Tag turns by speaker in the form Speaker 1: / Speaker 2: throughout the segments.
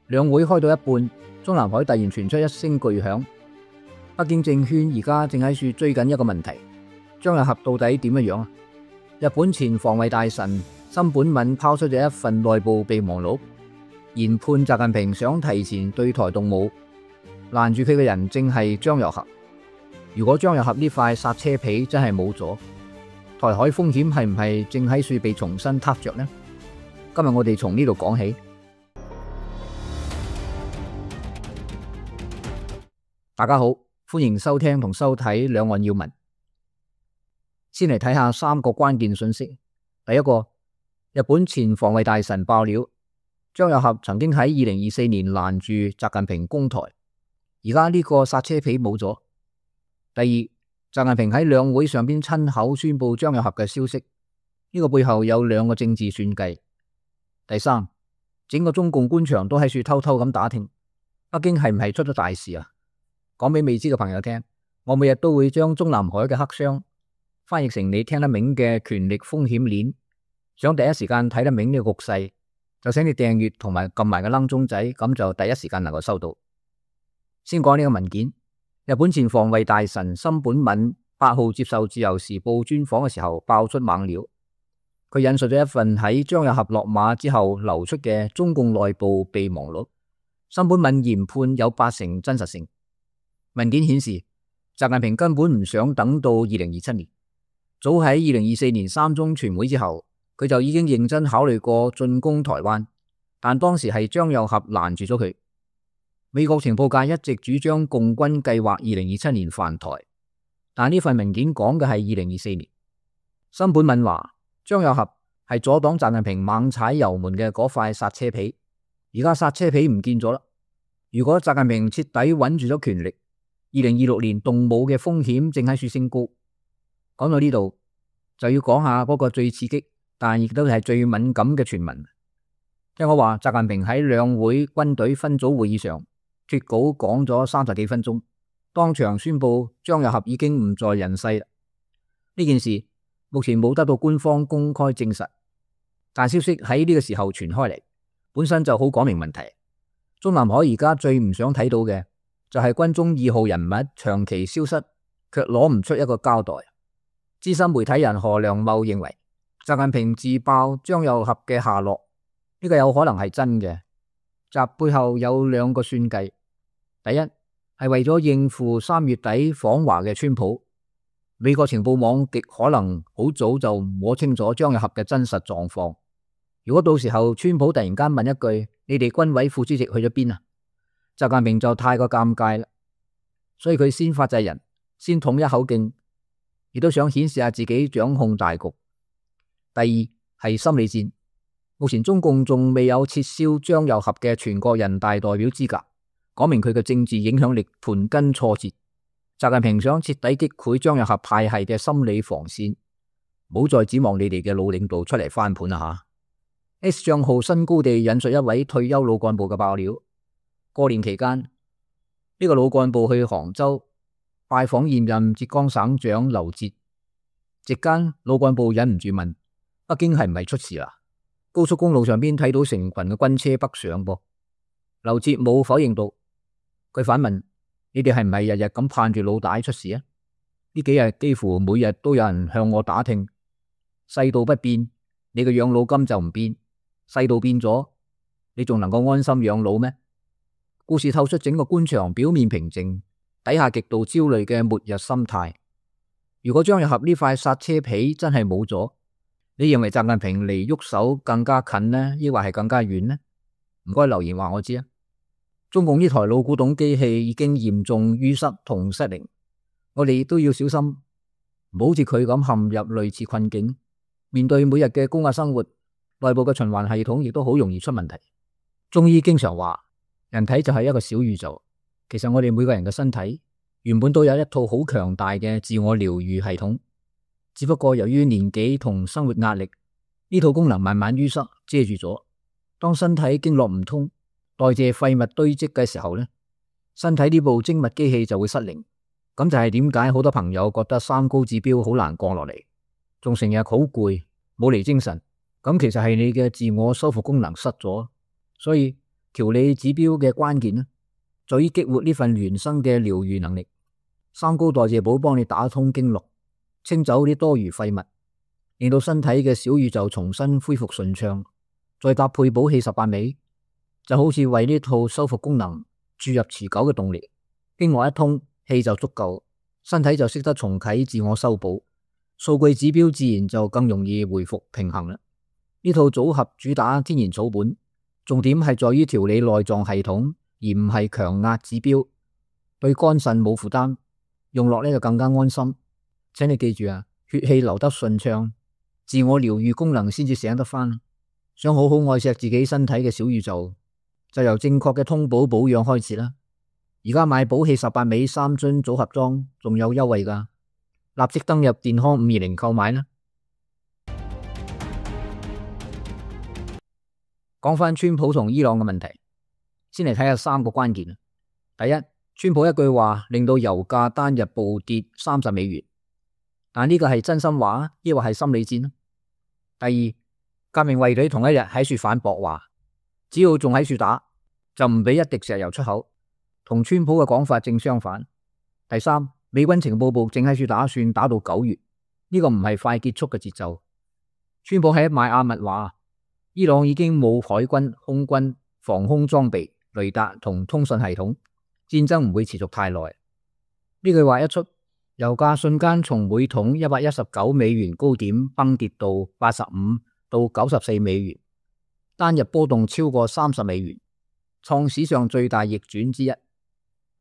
Speaker 1: 兩會開到一半，中南海突然傳出一聲巨響。北京政圈而家正喺處追緊一個問題：張又俠到底點樣啊？日本前防衛大臣森本敏拋出咗一份內部備忘錄，研判習近平想提前對台動武，攔住佢嘅人正係張又俠。如果張又俠呢塊剎車皮真係冇咗，台海風險係唔係正喺處被重新撻着呢？今日我哋從呢度講起。大家好，歡迎收聽同收睇兩岸要聞。先嚟睇下三個關鍵信息。第一個，日本前防衛大臣爆料，張又俠曾經喺2024年攔住習近平攻台，而家呢個剎車皮冇咗。第二，習近平喺兩會上邊親口宣布張又俠嘅消息，呢個背後有兩個政治算計。第三，整個中共官場都喺處偷偷咁打聽，北京係唔係出咗大事啊？講俾未知嘅朋友聽，我每日都會將中南海嘅黑箱翻譯成你聽得明嘅權力風險鏈。想第一時間睇得明呢個局勢，就請你訂閱同埋撳埋個鈴鐘仔，咁就第一時間能夠收到。先講呢個文件，日本前防衛大臣森本敏8號接受自由時報專訪嘅時候爆出猛料，佢引述咗一份喺張又俠落馬之後流出嘅中共內部備忘錄，森本敏研判有80%真實性。文件顯示，習近平根本唔想等到2027年，早喺2024年3中全會之後，佢就已經認真考慮過進攻台灣，但當時係張又俠攔住咗佢。美國情報界一直主張共軍計劃2027年犯台，但呢份文件講嘅係2024年。森本敏話，張又俠係阻擋習近平猛踩油門嘅嗰塊剎車皮，而家剎車皮唔見咗啦。如果習近平徹底穩住咗權力，2026年動武嘅風險正喺處升高。講到呢度，就要講下嗰個最刺激但亦都係最敏感嘅傳聞。聽我話，習近平喺兩會軍隊分組會議上脫稿講咗30幾分鐘，當場宣布張又俠已經唔在人世啦。呢件事目前冇得到官方公開證實，但消息喺呢個時候傳開嚟，本身就好講明問題。中南海而家最唔想睇到嘅就係軍中2號人物長期消失，卻攞唔出一個交代。資深媒體人何良茂認為，習近平自爆張又俠嘅下落，呢個有可能係真嘅。習背後有2個算計，第一係為咗應付3月底訪華嘅川普，美國情報網極可能好早就摸清楚張又俠嘅真實狀況。如果到時候川普突然間問一句，你哋軍委副主席去咗邊啊？習近平就太過尷尬啦，所以佢先發制人，先統一口徑，亦都想顯示下自己掌控大局。第二係心理戰，目前中共仲未有撤銷張又俠嘅全國人大代表資格，講明佢嘅政治影響力盤根錯節。習近平想徹底擊潰張又俠派系嘅心理防線，唔好再指望你哋嘅老領導出嚟翻盤啦吓。S 賬號新高地引述一位退休老幹部嘅爆料。過年期間，呢個老幹部去杭州拜訪現任浙江省長劉捷，席間老幹部忍唔住問：北京係唔係出事啦？高速公路上邊睇到成群嘅軍車北上噃。劉捷冇否認到，佢反問：你哋係唔係日日咁盼住老大出事啊？呢幾日幾乎每日都有人向我打聽，世道不變，你嘅養老金就唔變；世道變咗，你仲能夠安心養老咩？故事透出整個官場表面平靜，底下極度焦慮嘅末日心態。如果張又俠呢塊剎車皮真係冇咗，你認為習近平離喐手更加近呢，抑或係更加遠呢？唔該留言話我知啊！中共呢台老古董機器已經嚴重淤塞同失靈，我哋都要小心，唔好似佢咁陷入類似困境。面對每日嘅高壓生活，內部嘅循環系統亦都好容易出問題。中醫經常話，人體就係一個小宇宙，其實我哋每個人嘅身體原本都有一套好強大嘅自我療愈系統，只不過由於年紀同生活壓力，呢套功能慢慢淤塞遮住咗。當身體經絡唔通，代謝廢物堆積嘅時候呢，身體呢部精密機器就會失靈。咁就係點解好多朋友覺得三高指標好難降落嚟，仲成日好攰，冇嚟精神。咁其實係你嘅自我修復功能失咗。所以調理指標嘅關鍵呢，在於激活呢份原生嘅療癒能力。三高代謝寶幫你打通經絡，清走啲多餘廢物，令到身體嘅小宇宙重新恢復順暢。再搭配補氣18味，就好似為呢套修復功能注入持久嘅動力。經絡一通，氣就足夠，身體就識得重啟自我修補，數據指標自然就更容易回復平衡啦。呢套組合主打天然草本，重點係在於調理內臟系統，而唔係強壓指標，對肝腎冇負擔，用落呢就更加安心。請你記住啊，血氣流得順暢，自我療癒功能先至醒得返。想好好愛錫自己身體嘅小宇宙，就由正確嘅通補保養開始啦。而家買補氣18味3樽組合裝仲有優惠㗎，立即登入健康520購買啦。講返川普同伊朗嘅問題，先嚟睇下3個關鍵。第一，川普一句話令到油價單日暴跌30美元，但呢個係真心話抑或係心理戰？第二，革命衛隊同一日喺處反駁話，只要仲喺處打，就唔俾一滴石油出口，同川普嘅講法正相反。第三，美軍情報部正喺處打算打到9月，呢個唔係快結束嘅節奏。川普喺邁阿密話，伊朗已經冇海軍、空軍、防空裝備、雷達同通訊系統，戰爭唔會持續太耐。呢句話一出，油價瞬間從每桶119美元高點崩跌到85到94美元，單日波動超過30美元，創史上最大逆轉之一。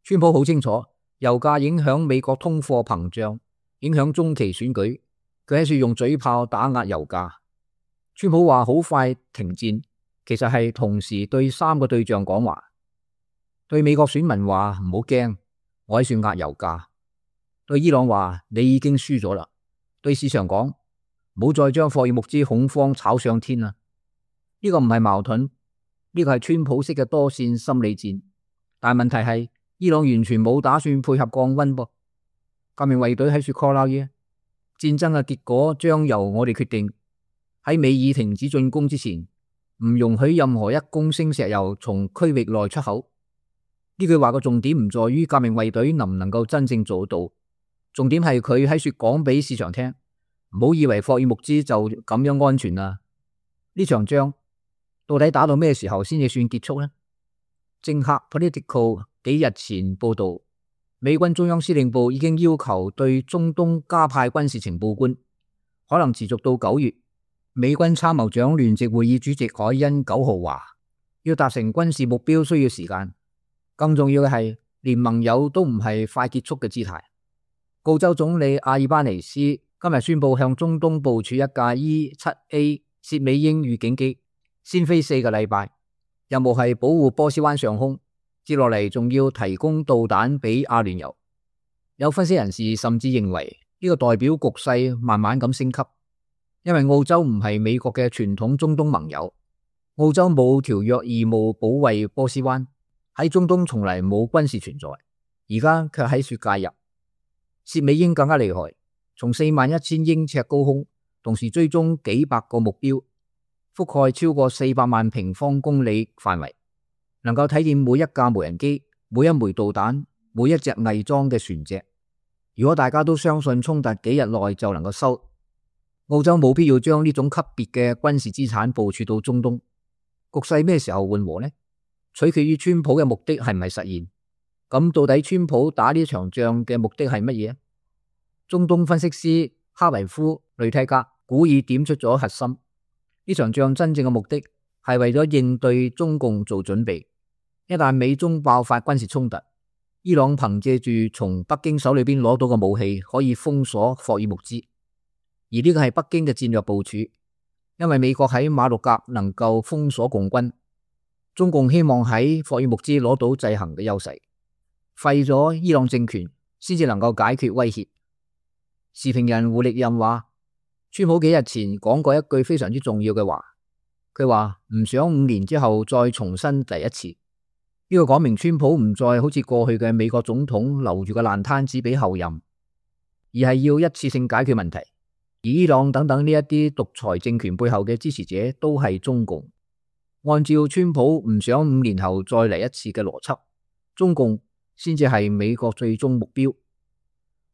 Speaker 1: 川普好清楚，油價影響美國通貨膨脹，影響中期選舉，佢喺處用嘴炮打壓油價。川普話好快停戰，其實係同時對3個對象講話。對美國選民話唔好驚，我喺處壓油價。對伊朗話你已經輸咗啦。對市場講唔好再將霍爾木茲恐慌炒上天啦。呢個唔係矛盾，呢個係川普式嘅多線心理戰。但問題係伊朗完全冇打算配合降溫噃。革命衛隊喺處 call out 嘢，戰爭嘅結果將由我哋決定。喺美以停止進攻之前，唔容許任何一公升石油從區域內出口。呢句話嘅重點唔在於革命衛隊能唔能夠真正做到，重點係佢喺處講俾市場聽，唔好以為霍爾木茲就咁樣安全啦。呢場仗到底打到咩時候先至算結束呢？政客 Political 幾日前報道，美軍中央司令部已經要求對中東加派軍事情報官，可能持續到9月。美軍參謀長聯席會議主席海恩9號話，要達成軍事目標需要時間，更重要嘅係連盟友都唔係快結束嘅姿態。澳洲總理阿爾巴尼斯今日宣布向中東部署一架 E-7A 薛美英預警機，先飛4個禮拜，任務係保護波斯灣上空，接落嚟仲要提供導彈俾阿聯酋。有分析人士甚至認為呢個代表局勢慢慢咁升級。因為澳洲唔係美國嘅傳統中東盟友，澳洲冇條約義務保衛波斯灣，喺中東從嚟冇軍事存在，而家卻喺處介入。薛美英更加厲害，從41000英尺高空同時追蹤幾百個目標，覆蓋超過400萬平方公里範圍，能夠睇見每一架無人機、每一枚導彈、每一隻偽裝嘅船隻。如果大家都相信衝突幾日內就能夠收，澳洲冇必要將呢種級別嘅軍事資產部署到中東。局勢咩時候緩和呢？取決於川普嘅目的係唔係實現。咁到底川普打呢場仗嘅目的係乜嘢？中東分析師哈維夫雷蒂格古已點出咗核心。呢場仗真正嘅目的係為咗應對中共做準備。一旦美中爆發軍事衝突，伊朗憑借住從北京手裏邊攞到嘅武器，可以封鎖霍爾木茲。而呢個係北京嘅戰略部署，因為美國喺馬六甲能夠封鎖共軍，中共希望喺霍爾木茲攞到制衡嘅優勢，廢咗伊朗政權，先至能夠解決威脅。時評人胡力任話，川普幾日前講過一句非常之重要嘅話，佢話唔想5年之後再重新第一次。呢個講明川普唔再好似過去嘅美國總統留住個爛攤子俾後任，而係要一次性解決問題。而伊朗等等呢一啲獨裁政權背後嘅支持者都係中共，按照川普唔想5年後再嚟一次嘅邏輯，中共先至係美國最終目標。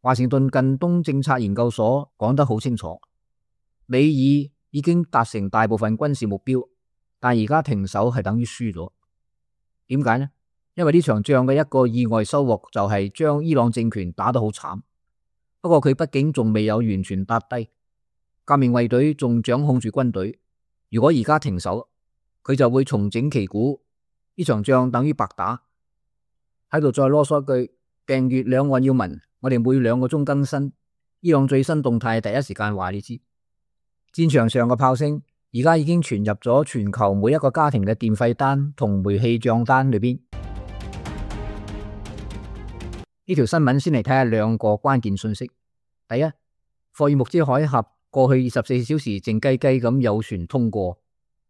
Speaker 1: 華盛頓近東政策研究所講得好清楚，美以已經達成大部分軍事目標，但而家停手係等於輸咗。點解呢？因為呢場仗嘅一個意外收穫就係將伊朗政權打得好慘。不過佢畢竟仲未有完全打低，革命衛隊仲掌控住軍隊。如果而家停手，佢就會重整旗鼓，呢場仗等於白打。喺度再囉嗦一句，訂閱兩岸要聞，我哋每2個鐘更新，伊朗最新動態第一時間話你知。戰場上嘅炮聲而家已經傳入咗全球每一個家庭嘅電費單同煤氣賬單裏邊。呢條新聞先嚟睇下2個關鍵信息。第一，霍爾木茲海峽過去24小時靜雞雞咁有船通過，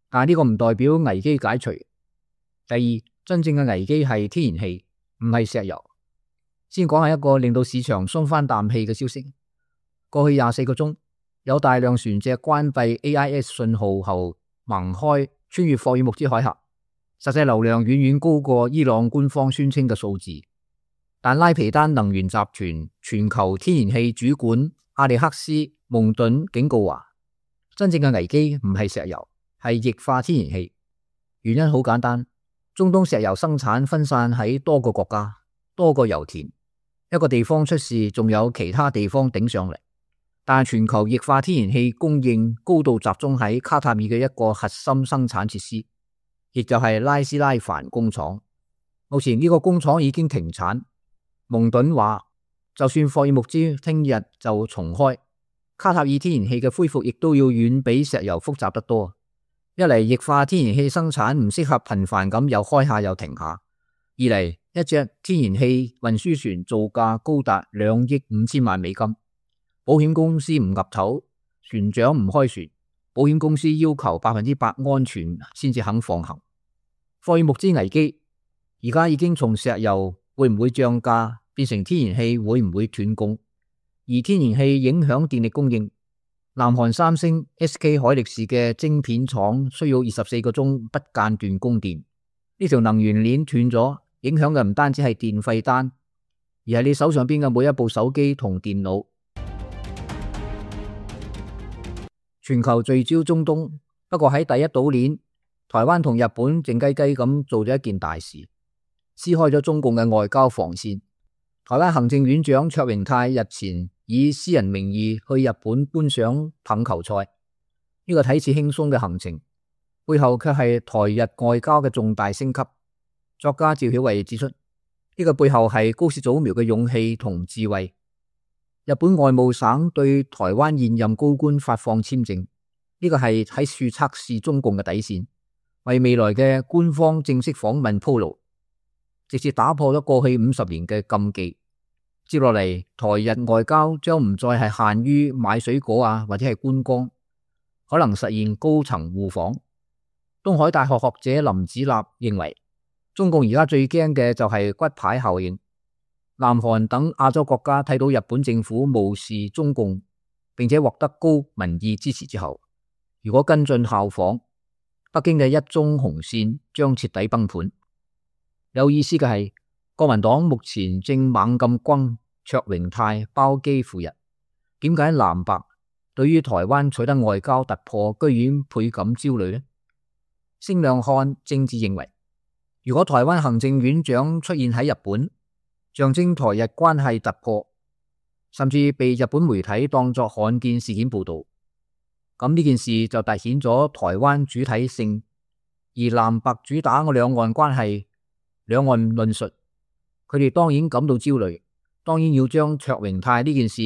Speaker 1: 但呢個唔代表危機解除。第二，真正嘅危機係天然氣，唔係石油。先講下一個令到市場鬆翻啖氣嘅消息。過去24個鐘，有大量船隻關閉 AIS 信號後盲開穿越霍爾木茲海峽，實際流量遠遠高過伊朗官方宣稱嘅數字。但拉皮丹能源集團全球天然氣主管阿里克斯蒙頓警告話，真正嘅危機唔係石油，係液化天然氣。原因好簡單，中東石油生產分散喺多個國家、多個油田，一個地方出事，仲有其他地方頂上嚟。但全球液化天然氣供應高度集中喺卡塔爾嘅一個核心生產設施，亦就係拉斯拉凡工廠。目前呢個工廠已經停產。蒙頓話，就算霍爾木茲聽日就重開，卡塔爾天然氣嘅恢復亦都要遠比石油複雜得多。一嚟液化天然氣生產唔適合頻繁咁又開下又停下；二嚟一隻天然氣運輸船造價高達2億5千萬美金，保險公司唔岌頭，船長唔開船，保險公司要求100%安全先至肯放行。霍爾木茲危機而家已經從石油會唔會漲價變成天然氣會唔會斷供，而天然氣影響電力供應。南韓三星 SK 海力士嘅晶片廠需要24個鐘不間斷供電，呢條能源鏈斷咗，影響嘅唔單止係電費單，而係你手上邊嘅每一部手機同電腦。全球聚焦中東，不過喺第一島鏈，台灣同日本靜雞雞咁做咗一件大事，撕開咗中共嘅外交防線。台灣行政院長卓榮泰日前以私人名義去日本觀賞棒球賽，呢個睇似輕鬆嘅行程，背後卻係台日外交嘅重大升級。作家趙曉慧指出，呢個背後係高市早苗嘅勇氣同智慧。日本外務省對台灣現任高官發放簽證，呢個係喺處測試中共嘅底線，為未來嘅官方正式訪問鋪路，直接打破咗過去50年嘅禁忌。接落嚟，台日外交將唔再係限於買水果或者係觀光，可能實現高層互訪。東海大學學者林子立認為，中共而家最驚嘅就係骨牌效應。南韓等亞洲國家睇到日本政府無視中共，並且獲得高民意支持之後，如果跟進效仿，北京嘅一中紅線將徹底崩盤。有意思嘅係，國民黨目前正猛咁轟卓榮泰包機赴日，點解藍白對於台灣取得外交突破居然倍感焦慮呢？星亮漢政治認為，如果台灣行政院長出現喺日本，象徵台日關係突破，甚至被日本媒體當作罕見事件報道，咁呢件事就凸顯咗台灣主體性，而藍白主打嘅兩岸關係、兩岸論述，佢哋當然感到焦慮，當然要將卓榮泰呢件事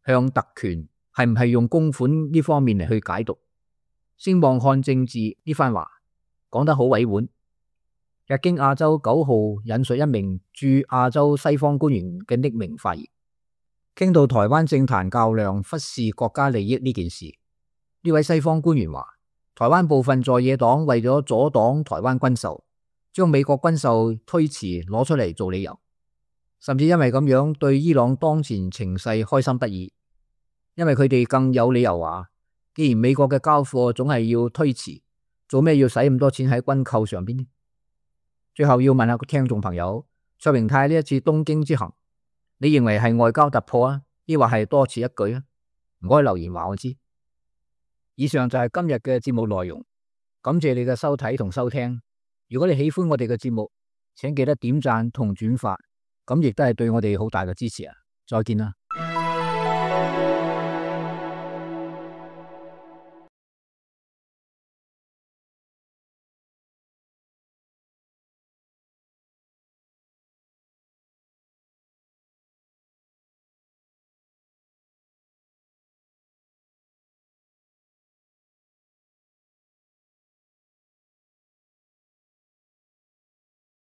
Speaker 1: 向特權係唔係用公款呢方面嚟去解讀。星望漢政治呢番話講得好委婉。日經亞洲9號引述一名駐亞洲西方官員嘅匿名發言，傾到台灣政壇較量忽視國家利益呢件事，呢位西方官員話，台灣部分在野黨為咗阻擋台灣軍售，將美國軍售推遲攞出嚟做理由，甚至因為咁樣對伊朗當前情勢開心不已，因為佢哋更有理由話，既然美國嘅交貨總係要推遲，做咩要使咁多錢喺軍購上邊呢？最後要問下個聽眾朋友，卓榮泰呢一次東京之行，你認為係外交突破啊，抑或係多此一舉啊？唔該留言話我知。以上就係今日嘅節目內容，感謝你嘅收睇同收聽。如果你喜歡我哋嘅節目，請記得點讚同轉發，咁亦都係對我哋好大嘅支持啊！再見啦。